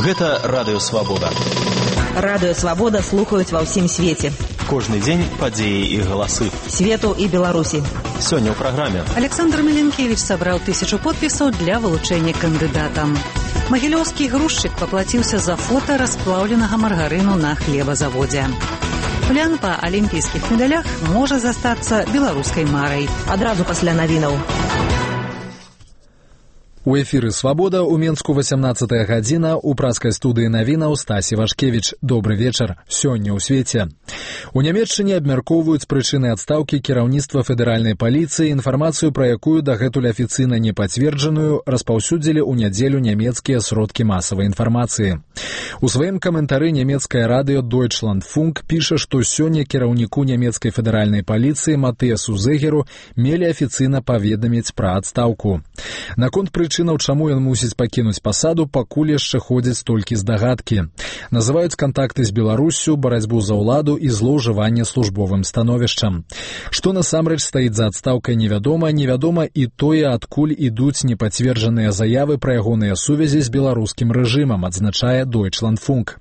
Гэта Радыё Свабода. Радыё Свабода слухаюць ва ўсім свеце. Кожны дзень падзеі і галасы. Свету і Беларусі. Сёння ў праграме. Александр Миленкевич сабраў 1000 подпісаў для вылучэння кандыдатам. Магілёўскі грузчык паплаціўся за фота расплаўленага маргарыну на хлебазаводзе. Плян па алімпійскіх медалях можа застацца беларускай марай. Адразу пасля навінаў. У эфіры «Свабода» у Менску 18 гадзіна, у праскай студыі навінаў Стасі Вашкевіч. Добры вечар. Сёння ў свеце. У Нямецчыне абмяркоўваюць прычыны адстаўкі кіраўніцтва федэральнай паліцыі, інфармацыю пра якую дагэтуль афіцыйна не пацверджаную распаўсюдзілі ў нядзелю нямецкія сродкі масавай інфармацыі. У сваім каментары нямецкае радыё Deutschlandfunk піша, што сёння кіраўніку нямецкай федэральнай паліцыі Матыасу Зегеру мелі афіцыйна паведаміць пра адстаўку. Наконт прычынаў, чаму ён мусіць пакінуць пасаду, пакуль яшчэ ходзяць толькі здагадкі. Называюць кантакты з Беларуссю, барацьбу за ўладу і злоўжыванне службовым становішчам. Што насамрэч стаіць за адстаўкай невядома, невядома і тое, адкуль ідуць непацверджаныя заявы пра ягоныя сувязі з беларускім рэжымам, адзначае Deutschlandfunk.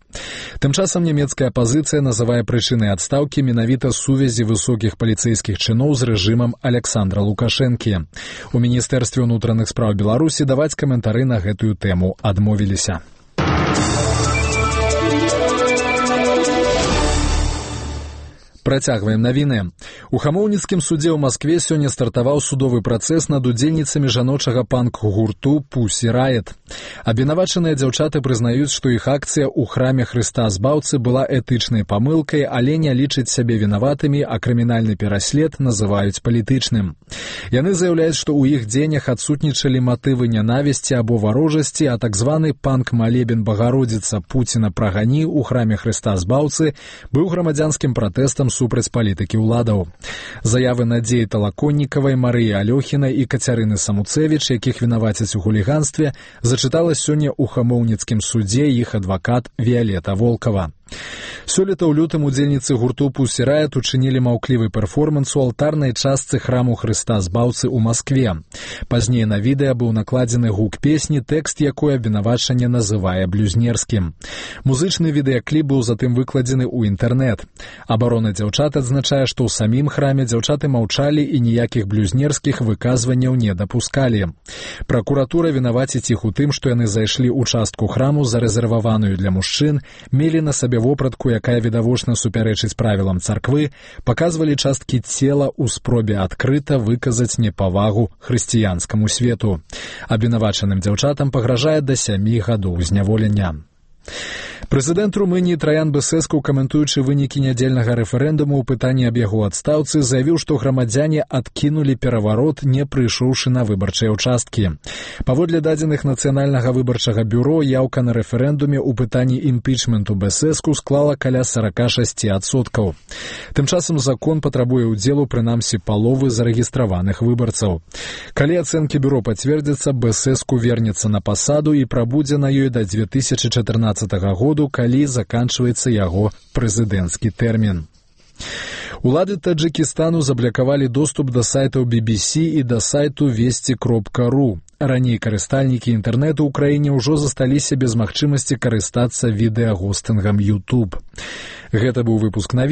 Тым часам нямецкая апазіцыя называе прычынай адстаўкі менавіта сувязі высокіх паліцэйскіх чыноў з рэжымам Александра Лукашэнкі. У Міністэрстве ўнутраных спраў Беларусі даваць каментары на гэтую тэму адмовіліся. Працягваем навіны. У Хамоўніцкім судзе ў Маскве сёння стартаваў судовы працэс над удзельніцамі жаночага панк-гурту «Пусі Райет». Абвінавачаныя дзяўчаты прызнаюць, што іх акцыя ў храме Хрыста Збаўцы была этычнай памылкай, але не лічаць сябе вінаватымі, а крымінальны пераслед называюць палітычным. Яны заяўляюць, што ў іх дзеяннях адсутнічалі матывы нянавісці або варожасці, а так званы панк-малебен Багародзіца «Пуціна прагані» ў храме Хрыста Збаўцы быў грамадзянскім пратэстам супраць палітыкі ўладаў. Заявы Надзеі Талаконнікавай, Марыі Алёхінай і Кацярыны Самуцэвіч, якіх вінавацяць у хуліганстве, зачытала сёння ў Хамоўніцкім судзе іх адвакат Віялета Волкава. Сёлета ў лютым удзельніцы гурту «Пусі Райет» учынілі маўклівы перформанс у алтарнай частцы храму Хрыста Збаўцы ў Маскве. Пазней на відэа быў накладзены гук песні, тэкст якой абвінавачанне называе блюзнерскім. Музычны відэакліп быў затым выкладзены ў інтэрнэт. Абарона дзяўчат адзначае, што ў самім храме дзяўчаты маўчалі і ніякіх блюзнерскіх выказванняў не дапускалі. Пракуратура вінаваціць іх у тым, што яны зайшлі ў частку храму, зарэзерваваную для мужчын, мелі на сабе вопратку, якая відавочна супярэчыць правілам царквы, паказвалі часткі цела ў спробе адкрыта выказаць непавагу хрысціянскаму свету. Абвінавачаным дзяўчатам пагражае да 7 гадоў зняволення. Прэзідэнт Румыніі Траян Бэсэску, каментуючы вынікі нядзельнага рэферэндуму ў пытанні аб яго адстаўцы, заявіў, што грамадзяне адкінулі пераварот, не прыйшоўшы на выбарчыя ўчасткі. Паводле дадзеных Нацыянальнага выбарчага бюро, яўка на рэферэндуме ў пытанні імпічменту Бэсэску склала каля 46%. Тым часам закон патрабуе ўдзелу прынамсі паловы зарэгістраваных выбарцаў. Калі ацэнкі бюро пацвердзяцца, Бэсэску вернецца на пасаду і прабудзе на ёй да 2014 году, калі заканчваецца яго прэзідэнцкі тэрмін. Улады Таджыкістану заблакавалі доступ да сайтаў BBC і да сайту вести.ру. Раней карыстальнікі інтэрнэту ў краіне ўжо засталіся без магчымасці карыстацца відэагостынгам YouTube. Гэта быў выпуск навін.